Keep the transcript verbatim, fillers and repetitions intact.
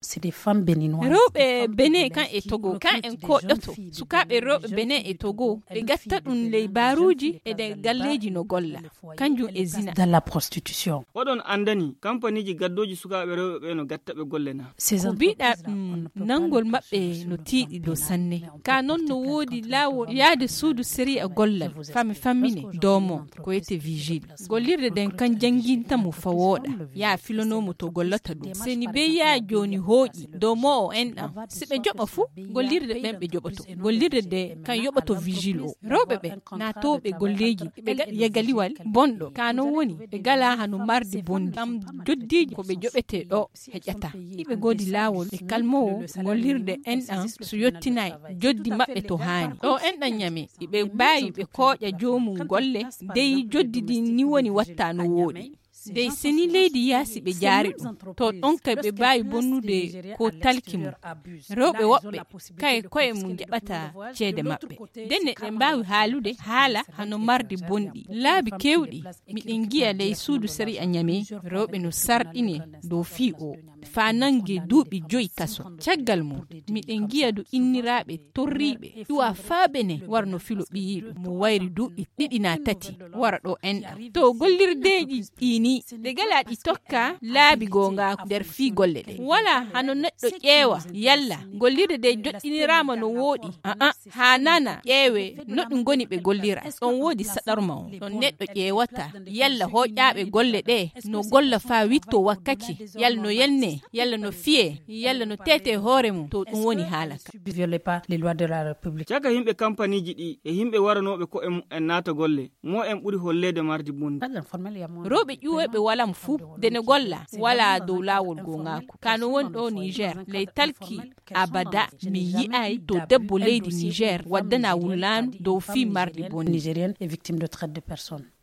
Rewɓe Benin kan e Togo kan en koƴoto sukaaɓe rewɓe Benin e Togo, ɓe gatta ɗum ley baaruuji e nder galleeji no golla, kanjum e zina. Dans la prostitution. Oɗon anndani kampaniiji gaddooji sukaaɓe rewɓe ɓe no gatta ɓe golle na? Ko biɗa ɗum nanngol maɓɓe no tiiɗi dow sanne. Ka noon no woodi laawol yaade suudu sériya gollal fami fammine doomon ko wiyete vigile. Gollirde nden kan jannginta mo fa wooɗa, yaa filonoo mo to gollata ɗum. Seni bee yaa jooni hooƴi dow mo o enɗan, si ɓe joɓa fuu gollirde ɓen ɓe joɓoto. Gollirde nde kan yoɓoto vigile o rewɓe ɓe naatooɓe golleeji ɓe gaɗa yagaliwal bonɗo. Ka non woni ɓe galaa hano marde bonndi kam. Joddiiji ko ɓe joɓetee ɗo heƴata. Iɓe goodi laawol e kalmoowo gollirde enɗan so yottinay joddi maɓɓe to haani ɗo enɗan ñame. Iɓe mbaawi ɓe kooƴa joomum golle dey joddi ndin ni woni watta no wooɗi. Dey seni leydi yaasi ɓe jaari ɗum to ɗon kay ɓe mbaawi bonnude ko talki mum. Rewɓe woɓɓe kay koye mum jaɓata ceede maɓɓe. Ndenne ɗe mbaawi haalude haala hano marde bonɗi laabi keewɗi. Miɗen ngiya ley suudu sariya ñame rewɓe no sarɗine dow fii o faa nannge duuɓi joyi kaso. Caggal mum miɗen ngiya du inniraaɓe torriiɓe ƴuwa faa bene wara no filo ɓiyiiɗo mo wayri duuɓi ɗiɗi naa tati wara ɗo enɗa to gollirdeeji ɗii nii ɗe galaa ɗi tokka laabi goongaaku nder fii golle ɗe. Walaa hano neɗɗo ƴeewa yalla gollirde nde joɗɗiniraama no wooɗi. Aa haa nana ƴeewee no ɗum ngoni ɓe gollira. Ɗon woodi saɗorma on ɗon neɗɗo ƴeewata yalla hooƴaaɓe golle ɗe no golla faa witto wakkaci yalla no yelnee yalla no fiyee yalla no teetee hoore mum to ɗum woni haala ka. Caka yimɓe kampaniiji ɗi e yimɓe waranooɓe ko'e mum en naata golle mo en ɓuri holleede mardi bonndi. Rewɓe ƴuwooɓe walam fuu nde ne golla walaa dow laawol goongaaku ka no woni ɗo niger ley talki. Abada mi yi'ay to debbo leydi niger waddana wullaandu dow fii mardi bonndi.